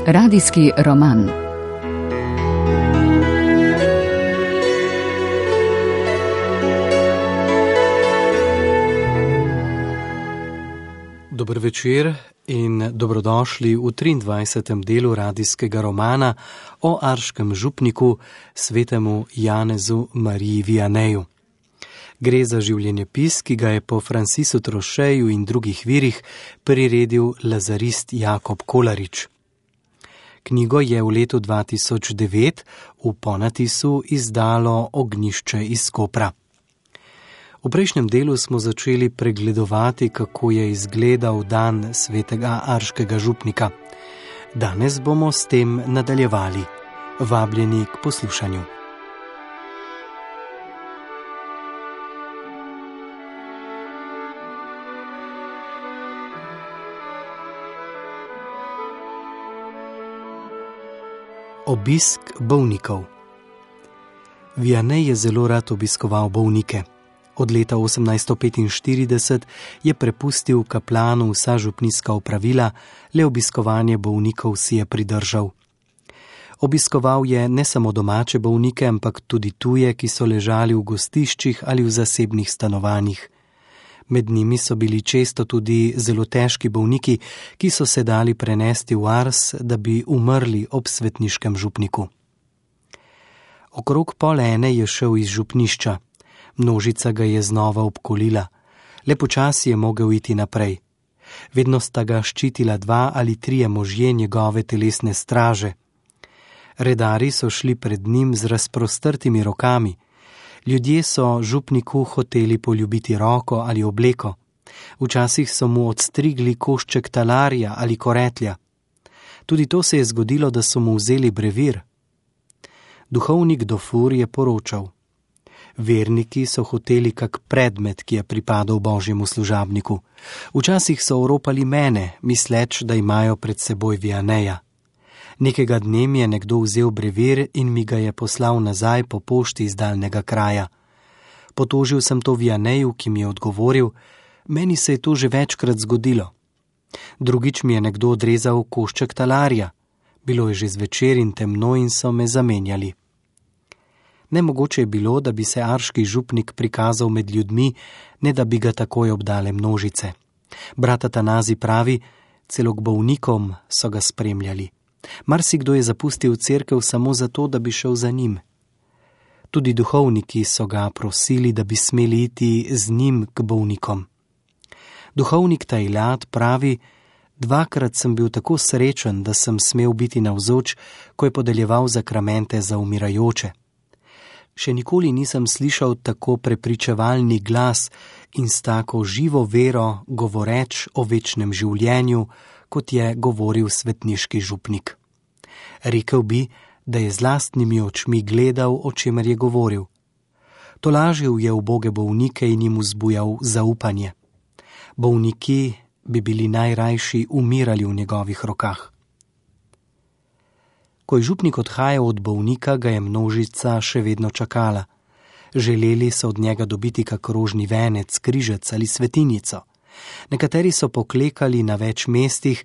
Radijski roman. Dober večer in dobrodošli v 23. delu radijskega romana o arškem župniku svetemu Janezu Mariji Vianeju. Gre za življenjepis, ki ga je po Francisu Trocheju in drugih virih priredil lazarist Jakob Kolarič. Knjigo je v letu 2009 v ponatisu izdalo Ognjišče iz Kopra. V prejšnjem delu smo začeli pregledovati, kako je izgledal dan svetega arškega župnika. Danes bomo s tem nadaljevali. Vabljeni k poslušanju. Obisk bolnikov. Vianej je zelo rad obiskoval bolnike. Od leta 1845 je prepustil kaplanu vsa župnijska opravila, le obiskovanje bolnikov si je pridržal. Obiskoval je ne samo domače bolnike, ampak tudi tuje, ki so ležali v gostiščih ali v zasebnih stanovanjih. Med njimi so bili često tudi zelo težki bolniki, ki so se dali prenesti v Ars, da bi umrli ob svetniškem župniku. Okrog 12:30 je šel iz župnišča. Množica ga je znova obkolila. Le počasi je mogel iti naprej. Vedno sta ga ščitila 2 ali 3 možje njegove telesne straže. Redari so šli pred njim z razprostrtimi rokami. Ljudje so župniku hoteli poljubiti roko ali obleko. Včasih so mu odstrigli košček talarja ali koretlja. Tudi to se je zgodilo, da so mu vzeli brevir. Duhovnik Dofur je poročal: verniki so hoteli kak predmet, ki je pripadal božjemu služabniku. Včasih so oropali mene, misleč, da imajo pred seboj Vianeja. Nekega dne mi je nekdo vzel brevir in mi ga je poslal nazaj po pošti iz daljnega kraja. Potožil sem to Vianeju, ki mi je odgovoril: meni se je to že večkrat zgodilo. Drugič mi je nekdo odrezal košček talarja. Bilo je že zvečer in temno in so me zamenjali. Nemogoče je bilo, da bi se arški župnik prikazal med ljudmi, ne da bi ga takoj obdale množice. Brat Atanazi pravi, celo k bolnikom so ga spremljali. Marsikdo je zapustil cerkev samo zato, da bi šel za njim. Tudi duhovniki so ga prosili, da bi smeli iti z njim k bolnikom. Duhovnik Tajlat pravi: 2-krat sem bil tako srečen, da sem smel biti navzoč, ko je podeljeval zakramente za umirajoče. Še nikoli nisem slišal tako prepričevalni glas in s tako živo vero govoreč o večnem življenju, kot je govoril svetniški župnik. Rekel bi, da je z lastnimi očmi gledal, o čemer je govoril. Tolažil je uboge bolnike in jim vzbujal zaupanje. Bolniki bi bili najrajši umirali v njegovih rokah. Ko je župnik odhajal od bolnika, ga je množica še vedno čakala. Želeli so od njega dobiti kak rožni venec, križec ali svetinico. Nekateri so poklekali na več mestih,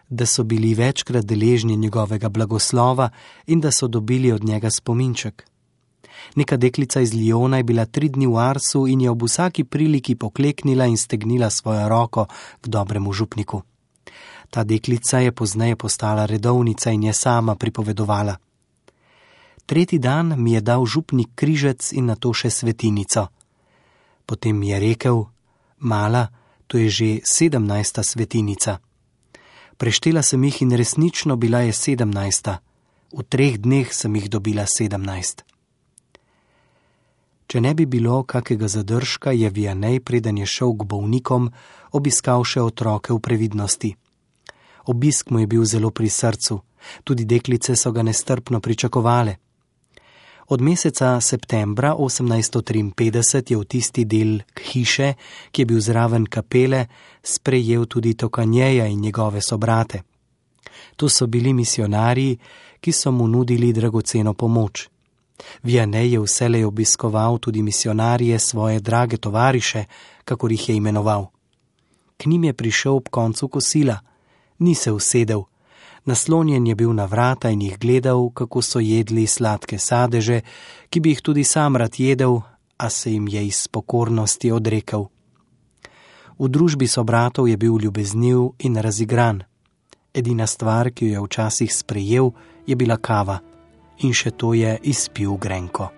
da so bili večkrat deležni njegovega blagoslova in da so dobili od njega spominček. Neka deklica iz Liona je bila 3 dni v Arsu in je ob vsaki priliki pokleknila in stegnila svojo roko k dobremu župniku. Ta deklica je pozneje postala redovnica in je sama pripovedovala: 3. dan mi je dal župnik križec in nato še svetinico. Potem mi je rekel: mala, to je že 17. svetinica. Preštela sem jih in resnično bila je 17. V 3 dneh sem jih dobila 17. Če ne bi bilo kakega zadržka, je Vianej, preden je šel k bolnikom, obiskal še otroke v previdnosti. Obisk mu je bil zelo pri srcu, tudi deklice so ga nestrpno pričakovale. Od meseca septembra 1853 je v tisti del hiše, ki je bil zraven kapele, sprejel tudi Tokanjeja in njegove sobrate. To so bili misionarji, ki so mu nudili dragoceno pomoč. Vianej je vselej obiskoval tudi misionarje, svoje drage tovariše, kakor jih je imenoval. K njim je prišel ob koncu kosila. Ni se usedel. Naslonjen je bil na vrata in jih gledal, kako so jedli sladke sadeže, ki bi jih tudi sam rad jedel, a se jim je iz pokornosti odrekel. V družbi sobratov je bil ljubezniv in razigran. Edina stvar, ki jo je včasih sprejel, je bila kava, in še to je izpil grenko.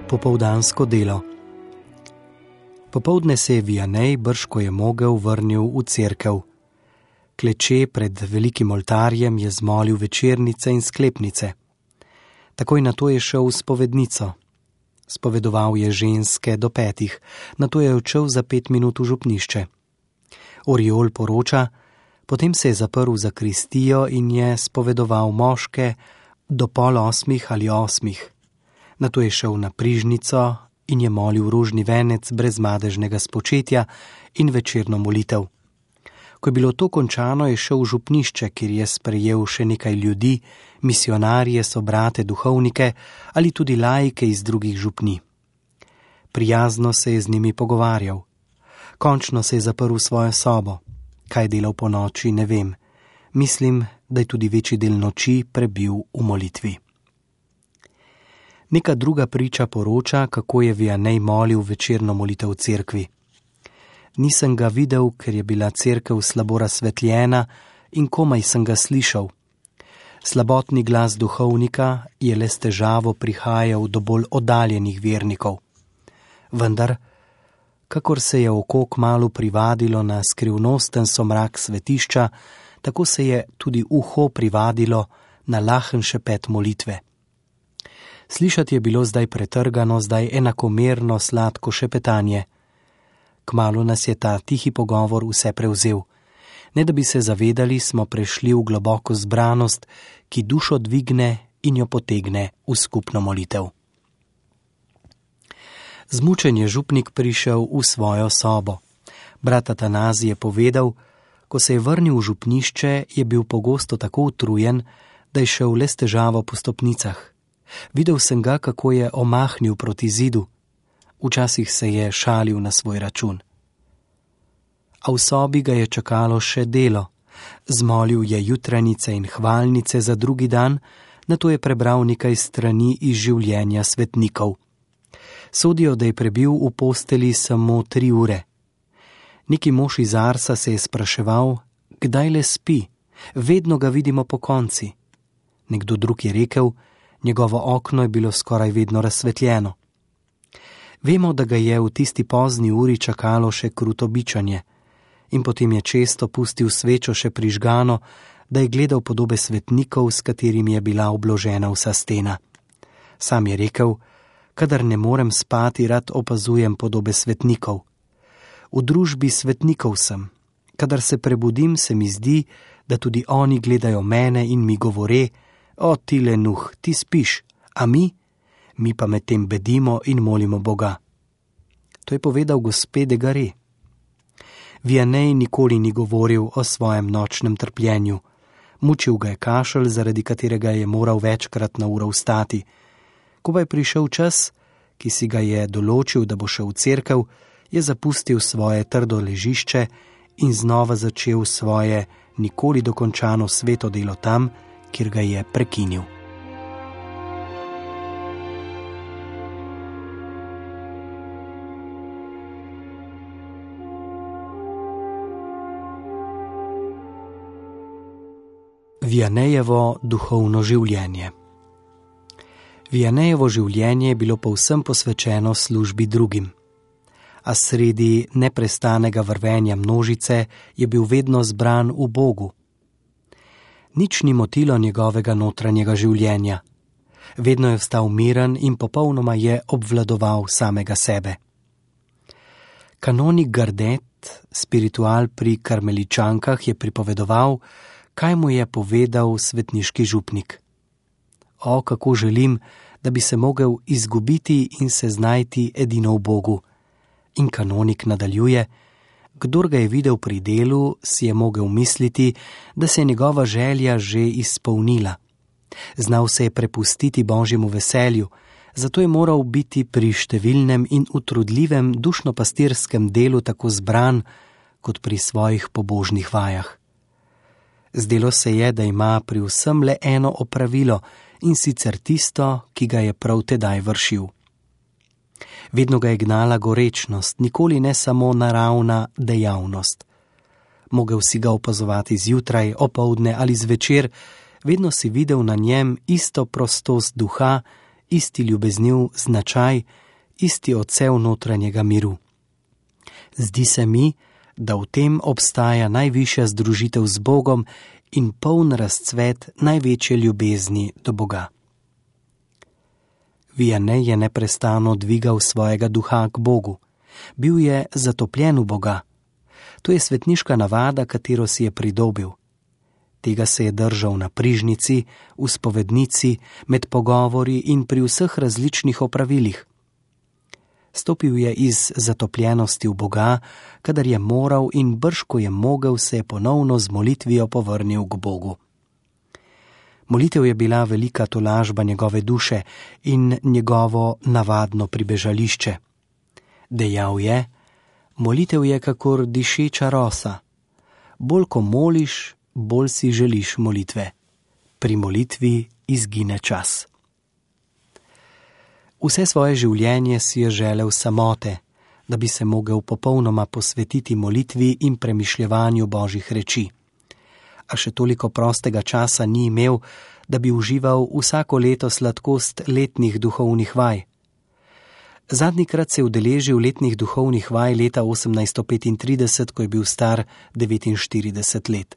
Popoldansko delo. Popoldne se je Vianej, brž ko je mogel, vrnil v cerkev. Kleče pred velikim oltarjem je zmolil večernice in sklepnice. Takoj nato je šel v spovednico. Spovedoval je ženske do 5, nato je odšel za 5 minut v župnišče. Oriol poroča, potem se je zaprl za zakristijo in je spovedoval moške do 7:30 ali 8. Nato je šel na prižnico in je molil ružni venec brez madežnega spočetja in večerno molitev. Ko je bilo to končano, je šel v župnišče, kjer je sprejel še nekaj ljudi, misionarje, sobrate, duhovnike ali tudi laike iz drugih župni. Prijazno se je z njimi pogovarjal. Končno se je zaprl v svojo sobo. Kaj delal po noči, ne vem. Mislim, da je tudi večji del noči prebil v molitvi. Neka druga priča poroča, kako je Vianej molil večerno molitev v cerkvi. Nisem ga videl, ker je bila cerkev slabo razsvetljena in komaj sem ga slišal. Slabotni glas duhovnika je le s težavo prihajal do bolj oddaljenih vernikov. Vendar, kakor se je oko kmalu privadilo na skrivnosten somrak svetišča, tako se je tudi uho privadilo na lahen šepet molitve. Slišati je bilo zdaj pretrgano, zdaj enakomerno sladko šepetanje. Kmalu nas je ta tihi pogovor vse prevzel. Ne da bi se zavedali, smo prešli v globoko zbranost, ki dušo dvigne in jo potegne v skupno molitev. Zmučen je župnik prišel v svojo sobo. Brat Atanazij je povedal, ko se je vrnil v župnišče, je bil pogosto tako utrujen, da je šel le s težavo po stopnicah. Videl sem ga, kako je omahnil proti zidu. Včasih se je šalil na svoj račun. A v sobi ga je čakalo še delo. Zmolil je jutranice in hvalnice za drugi dan, nato je prebral nekaj strani iz življenja svetnikov. Sodijo, da je prebil v posteli samo 3 ure. Neki mož iz Arsa se je spraševal, kdaj le spi, vedno ga vidimo po konci. Nekdo drug je rekel, njegovo okno je bilo skoraj vedno razsvetljeno. Vemo, da ga je v tisti pozni uri čakalo še kruto bičanje in potem je često pustil svečo še prižgano, da je gledal podobe svetnikov, s katerimi je bila obložena vsa stena. Sam je rekel, kadar ne morem spati, rad opazujem podobe svetnikov. V družbi svetnikov sem. Kadar se prebudim, se mi zdi, da tudi oni gledajo mene in mi govore, o tile Nuh, ti spiš, a mi pa medtem bedimo in molimo Boga. To je povedal gospe de Gare. Vianej nikoli ni govoril o svojem nočnem trpljenju. Mučil ga je kašelj, zaradi katerega je moral večkrat na uro vstati. Ko pa je prišel čas, ki si ga je določil, da bo šel v cerkev, je zapustil svoje trdo ležišče in znova začel svoje nikoli dokončano sveto delo tam, kjer ga je prekinil. Vianejevo duhovno življenje. Vianejevo življenje je bilo povsem posvečeno službi drugim, a sredi neprestanega vrvenja množice je bil vedno zbran v Bogu. Nič ni motilo njegovega notranjega življenja. Vedno je vstal miren in popolnoma je obvladoval samega sebe. Kanonik Gardet, spiritual pri Karmeličankah, je pripovedoval, kaj mu je povedal svetniški župnik. O, kako želim, da bi se mogel izgubiti in se znajti edino v Bogu. In kanonik nadaljuje, kdor ga je videl pri delu, si je mogel misliti, da se je njegova želja že izpolnila. Znal se je prepustiti Božjemu veselju, zato je moral biti pri številnem in utrudljivem dušno-pastirskem delu tako zbran, kot pri svojih pobožnih vajah. Zdelo se je, da ima pri vsem le eno opravilo, in sicer tisto, ki ga je prav tedaj vršil. Vedno ga je gnala gorečnost, nikoli ne samo naravna dejavnost. Mogel si ga opazovati zjutraj, opoldne ali zvečer, vedno si videl na njem isto prostost duha, isti ljubezniv značaj, isti odsev notranjega miru. Zdi se mi, da v tem obstaja najvišja združitev z Bogom in poln razcvet največje ljubezni do Boga. Vianney je neprestano dvigal svojega duha k Bogu. Bil je zatopljen v Boga. To je svetniška navada, katero si je pridobil. Tega se je držal na prižnici, v spovednici, med pogovori in pri vseh različnih opravilih. Stopil je iz zatopljenosti v Boga, kadar je moral, in brž ko je mogel, se je ponovno z molitvijo povrnil k Bogu. Molitev je bila velika tolažba njegove duše in njegovo navadno pribežališče. Dejal je: molitev je kakor dišeča rosa. Bolj ko moliš, bolj si želiš molitve. Pri molitvi izgine čas. Vse svoje življenje si je želel samote, da bi se mogel popolnoma posvetiti molitvi in premišljevanju Božjih reči. A še toliko prostega časa ni imel, da bi užival vsako leto sladkost letnih duhovnih vaj. Zadnjikrat se je udeležil letnih duhovnih vaj leta 1835, ko je bil star 49 let.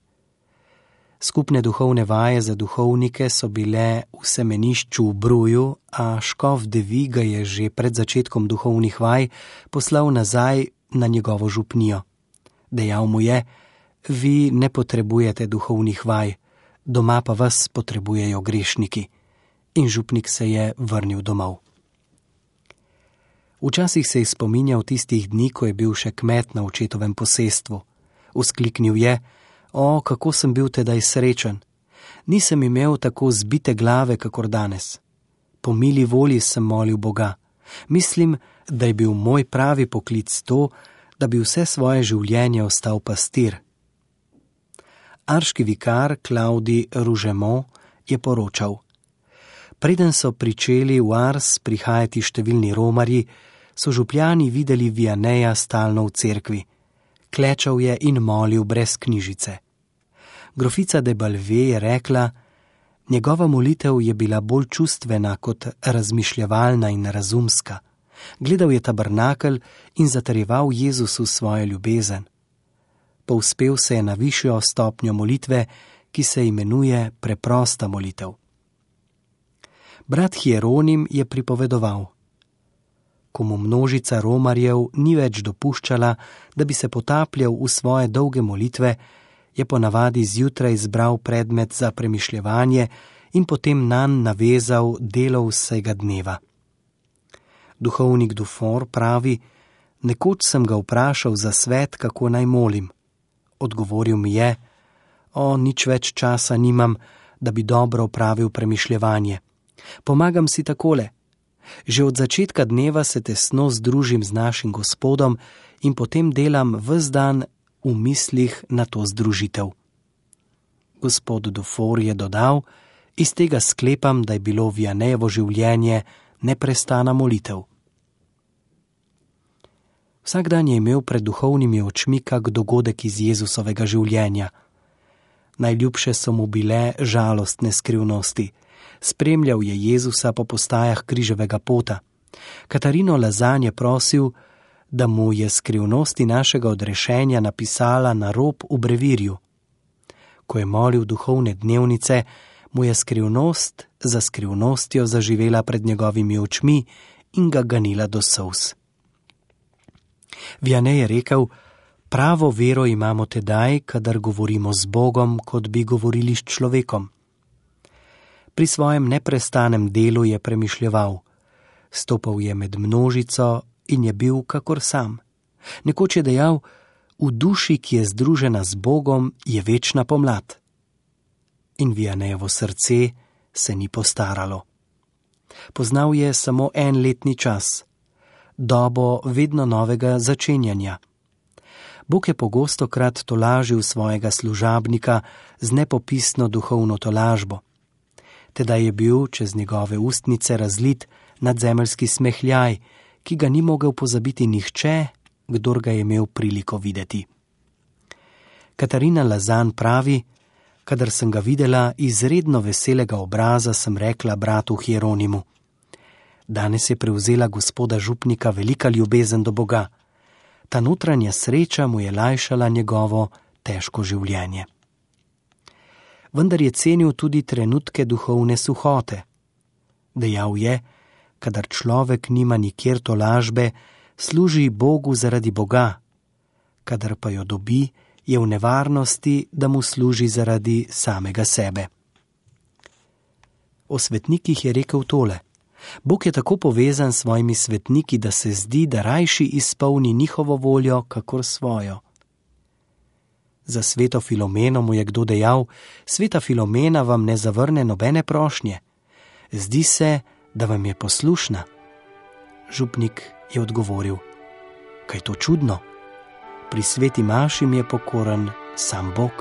Skupne duhovne vaje za duhovnike so bile v semenišču v Bruju, a škof Devi ga je že pred začetkom duhovnih vaj poslal nazaj na njegovo župnijo. Dejal mu je: vi ne potrebujete duhovnih vaj, doma pa vas potrebujejo grešniki. In župnik se je vrnil domov. Včasih se je spominjal tistih dni, ko je bil še kmet na očetovem posestvu. Vzkliknil je: o, kako sem bil tedaj srečen. Nisem imel tako zbite glave, kakor danes. Po mili volji sem molil Boga. Mislim, da je bil moj pravi poklic to, da bi vse svoje življenje ostal pastir. Arški vikar Claudi Rougemont je poročal: preden so pričeli v Ars prihajati številni romarji, so župljani videli Vianneya stalno v cerkvi. Klečal je in molil brez knjižice. Grofica de Balve je rekla: njegova molitev je bila bolj čustvena kot razmišljevalna in razumska. Gledal je tabernakelj in zatrjeval Jezusu svojo ljubezen. Povzpel se je na višjo stopnjo molitve, ki se imenuje preprosta molitev. Brat Hieronim je pripovedoval: ko mu množica romarjev ni več dopuščala, da bi se potapljal v svoje dolge molitve, je ponavadi zjutraj izbral predmet za premišljevanje in potem nanj navezal delo vsega dneva. Duhovnik Dufour pravi: nekoč sem ga vprašal za svet, kako naj molim. Odgovoril mi je: o, nič več časa nimam, da bi dobro opravil premišljevanje. Pomagam si takole. Že od začetka dneva se tesno združim z našim Gospodom in potem delam ves dan v mislih na to združitev. Gospod Dufour je dodal: iz tega sklepam, da je bilo Vianneyovo življenje neprestana molitev. Vsak dan je imel pred duhovnimi očmi kak dogodek iz Jezusovega življenja. Najljubše so mu bile žalostne skrivnosti. Spremljal je Jezusa po postajah križevega pota. Katarino Lazan je prosil, da mu je skrivnosti našega odrešenja napisala na rob v brevirju. Ko je molil duhovne dnevnice, mu je skrivnost za skrivnostjo zaživela pred njegovimi očmi in ga ganila do solz. Vianney je rekel: pravo vero imamo tedaj, kadar govorimo z Bogom, kot bi govorili s človekom. Pri svojem neprestanem delu je premišljeval. Stopal je med množico in je bil kakor sam. Nekoč je dejal: v duši, ki je združena z Bogom, je večna pomlad. In Vianneyovo srce se ni postaralo. Poznal je samo en letni čas, dobo vedno novega začenjanja. Bog je pogostokrat tolažil svojega služabnika z nepopisno duhovno tolažbo. Tedaj je bil čez njegove ustnice razlit nadzemeljski smehljaj, ki ga ni mogel pozabiti nihče, kdor ga je imel priliko videti. Katarina Lazan pravi: kadar sem ga videla izredno veselega obraza, sem rekla bratu Hieronimu: danes je prevzela gospoda župnika velika ljubezen do Boga. Ta notranja sreča mu je lajšala njegovo težko življenje. Vendar je cenil tudi trenutke duhovne suhote. Dejal je: kadar človek nima nikjer tolažbe, služi Bogu zaradi Boga, kadar pa jo dobi, je v nevarnosti, da mu služi zaradi samega sebe. O svetnikih je rekel tole: Bog je tako povezan s svojimi svetniki, da se zdi, da rajši izpolni njihovo voljo, kakor svojo. Za sveto Filomeno mu je kdo dejal: sveta Filomena vam ne zavrne nobene prošnje. Zdi se, da vam je poslušna. Župnik je odgovoril: kaj to čudno? Pri sveti maši mi je pokoren sam Bog.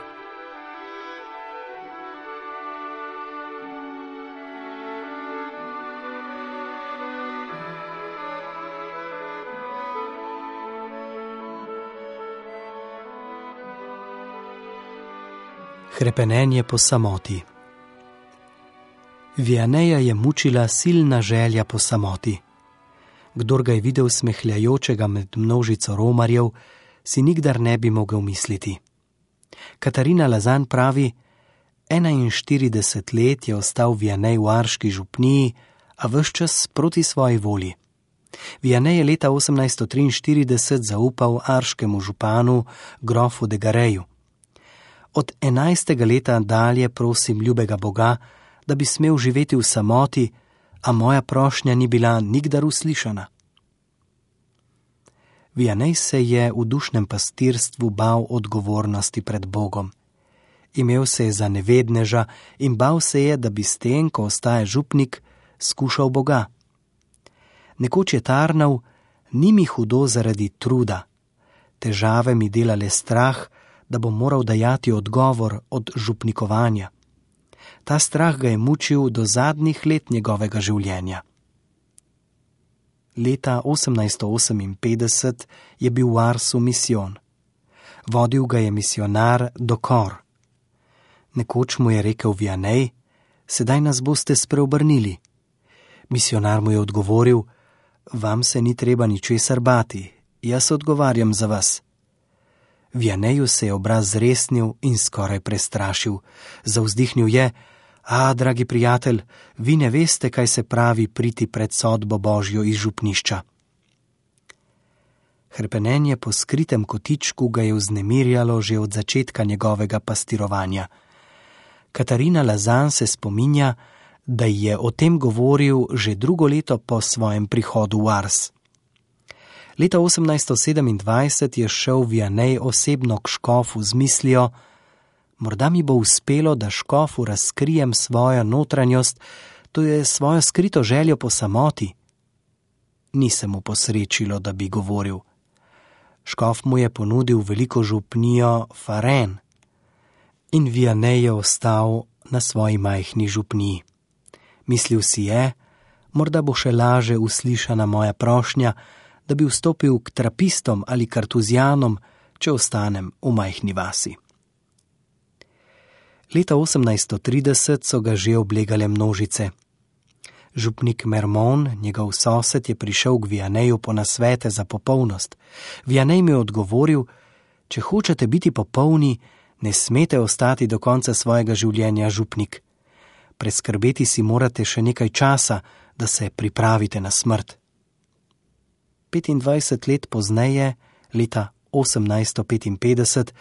Hrepenenje po samoti. Vianeja je mučila silna želja po samoti. Kdor ga je videl smehljajočega med množico romarjev, si nikdar ne bi mogel misliti. Katarina Lazan pravi: 41 let je ostal Vianej v arški župniji, a ves čas proti svoji volji. Vianej je leta 1843 zaupal arškemu županu grofu de Gareju: od 11. leta dalje prosim ljubega Boga, da bi smel živeti v samoti, a moja prošnja ni bila nikdar uslišana. Vianej se je v dušnem pastirstvu bal odgovornosti pred Bogom. Imel se je za nevedneža in bal se je, da bi s tem, ko ostaje župnik, skušal Boga. Nekoč je tarnal: ni mi hudo zaradi truda, težave mi delale strah, da bom moral dajati odgovor od župnikovanja. Ta strah ga je mučil do zadnjih let njegovega življenja. Leta 1858 je bil v Arsu misijon. Vodil ga je misionar Dokor. Nekoč mu je rekel Vianej: sedaj nas boste spreobrnili. Misionar mu je odgovoril: vam se ni treba ničesar bati, jaz odgovarjam za vas. Vianeju se je obraz zresnil in skoraj prestrašil. Zavzdihnil je: dragi prijatelj, vi ne veste, kaj se pravi priti pred sodbo Božjo iz župnišča. Hrepenenje po skritem kotičku ga je vznemirjalo že od začetka njegovega pastirovanja. Katarina Lazan se spominja, da je o tem govoril že drugo leto po svojem prihodu v Ars. Leta 1827 je šel Vianej osebno k škofu z mislijo: morda mi bo uspelo, da škofu razkrijem svojo notranjost, to je svojo skrito željo po samoti. Ni se mu posrečilo, da bi govoril. Škof mu je ponudil veliko župnijo Faren in Vianej je ostal na svoji majhni župniji. Mislil si je: morda bo še laže uslišana moja prošnja, da bi vstopil k trapistom ali kartuzijanom, če ostanem v majhni vasi. Leta 1830 so ga že oblegale množice. Župnik Mermon, njegov sosed, je prišel k Vianeju po nasvete za popolnost. Vianej mi je odgovoril: če hočete biti popolni, ne smete ostati do konca svojega življenja župnik. Preskrbeti si morate še nekaj časa, da se pripravite na smrt. 25 let pozneje, leta 1855,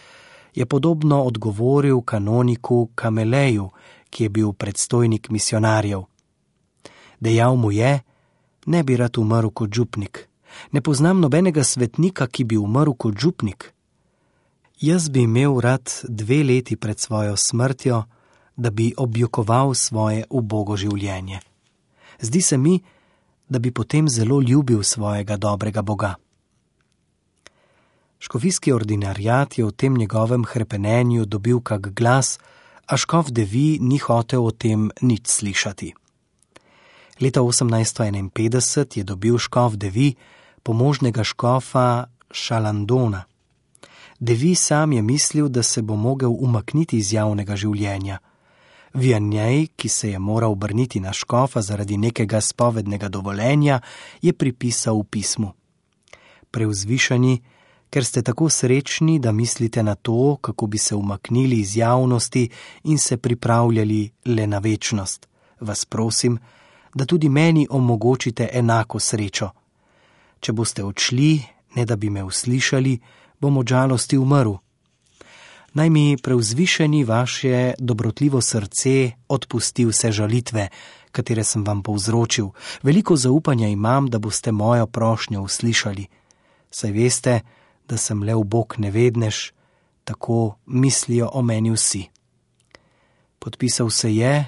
je podobno odgovoril kanoniku Kameleju, ki je bil predstojnik misionarjev. Dejal mu je: ne bi rad umrl kot župnik. Ne poznam nobenega svetnika, ki bi umrl kot župnik. Jaz bi imel rad 2 leti pred svojo smrtjo, da bi objokoval svoje ubogo življenje. Zdi se mi, da bi potem zelo ljubil svojega dobrega Boga. Škofijski ordinarjat je v tem njegovem hrepenenju dobil kak glas, a škof de Vie ni hotel o tem nič slišati. Leta 1851 je dobil škof de Vie pomožnega škofa Chalandona. De Vie sam je mislil, da se bo mogel umakniti iz javnega življenja. Vianney, ki se je moral obrniti na škofa zaradi nekega spovednega dovoljenja, je pripisal v pismu: Preuzvišeni, ker ste tako srečni, da mislite na to, kako bi se umaknili iz javnosti in se pripravljali le na večnost, vas prosim, da tudi meni omogočite enako srečo. Če boste odšli, ne da bi me uslišali, bom od žalosti umrl. Naj mi preuzvišeni vaše dobrotljivo srce odpusti vse žalitve, katere sem vam povzročil. Veliko zaupanja imam, da boste mojo prošnjo uslišali. Saj veste, da sem le ubog nevednež, tako mislijo o meni vsi. Podpisal se je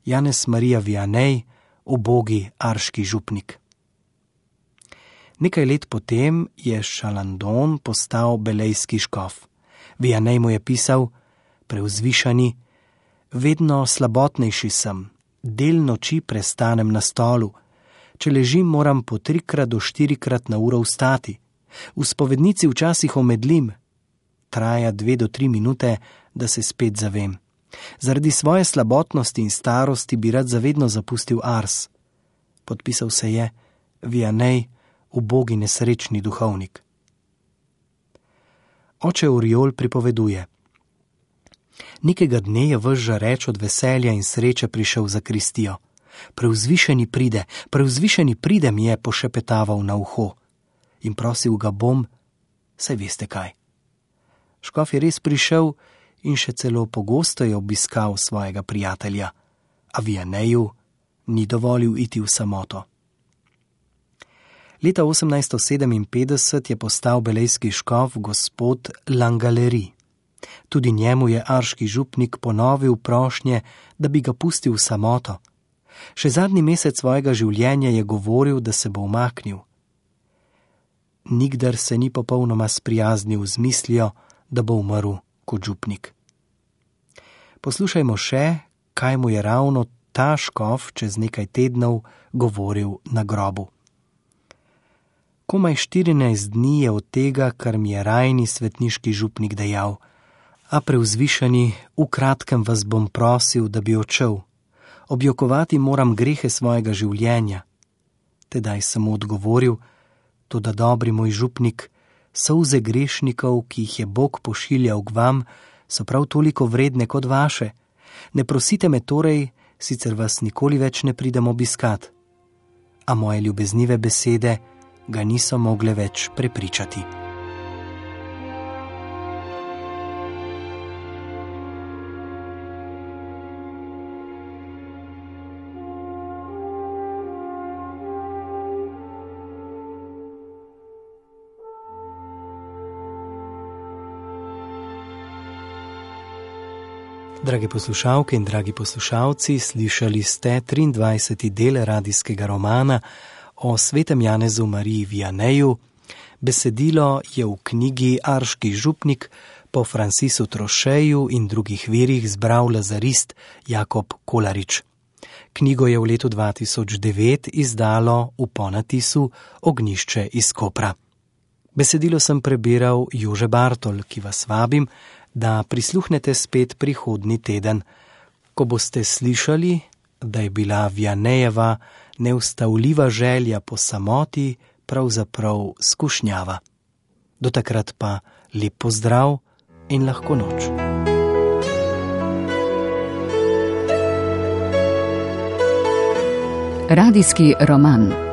Janez Marija Vianney, ubogi arški župnik. Nekaj let potem je Chalandon postal belejski škof. Vianney mu je pisal: Preuzvišeni, vedno slabotnejši sem, del noči prestanem na stolu. Če ležim, moram po 3 do 4 na uro vstati. V spovednici včasih omedlim. Traja 2 do 3 minute, da se spet zavem. Zaradi svoje slabotnosti in starosti bi rad zavedno zapustil Ars. Podpisal se je Vianney, ubogi nesrečni duhovnik. Oče Oriol pripoveduje: Nekega dne je ves žareč od veselja in sreče prišel za Kristijo. Preuzvišeni pride, mi je pošepetaval na uho. In prosil ga bom, saj veste kaj. Škof je res prišel in še celo pogosto je obiskal svojega prijatelja, a Vianneyju ni dovolil iti v samoto. Leta 1857 je postal belejski škof gospod Langaleri. Tudi njemu je arški župnik ponovil prošnje, da bi ga pustil v samoto. Še zadnji mesec svojega življenja je govoril, da se bo umaknil. Nikdar se ni popolnoma sprijaznil z mislijo, da bo umrl kot župnik. Poslušajmo še, kaj mu je ravno ta škof čez nekaj tednov govoril na grobu. Komaj 14 dni je od tega, kar mi je rajni svetniški župnik dejal: A preuzvišeni, v kratkem vas bom prosil, da bi odšel. Objokovati moram grehe svojega življenja. Tedaj sem mu odgovoril: Toda dobri moj župnik, solze grešnikov, ki jih je Bog pošiljal k vam, so prav toliko vredne kot vaše. Ne prosite me torej, sicer vas nikoli več ne pridem obiskat. A moje ljubeznive besede ga niso mogle več prepričati. Drage poslušalke in dragi poslušalci, slišali ste 23. del radijskega romana o svetem Janezu Mariji Vianneyju. Besedilo je v knjigi Arški župnik po Francisu Trocheju in drugih virih zbral lazarist Jakob Kolarič. Knjigo je v letu 2009 izdalo v ponatisu Ognjišče iz Kopra. Besedilo sem prebiral Jože Bartol, ki vas vabim, da prisluhnete spet prihodnji teden, ko boste slišali, da je bila Vianneyjeva neustavljiva želja po samoti pravzaprav skušnjava. Do takrat pa lep pozdrav in lahko noč. Radijski roman.